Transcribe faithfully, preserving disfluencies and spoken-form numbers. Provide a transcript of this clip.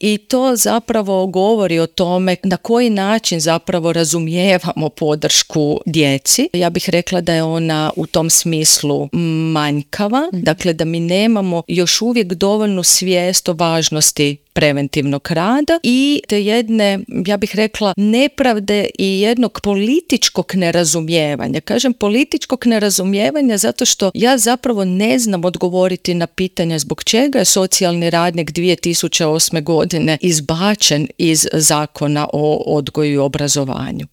i to zapravo govori o tome na koji način zapravo razumijevamo podršku djeci. Ja bih rekla da je ona u tom smislu manjkava, dakle da mi nemamo još uvijek dovoljnu svijest o važnosti preventivnog rada i te jedne, ja bih rekla, nepravde i jednog političkog nerazumijevanja. Kažem političkog nerazumijevanja zato što ja zapravo ne znam odgovoriti na pitanja zbog čega je socijalni radnik dvije tisuće osme godine izbačen iz Zakona o odgoju i obrazovanju.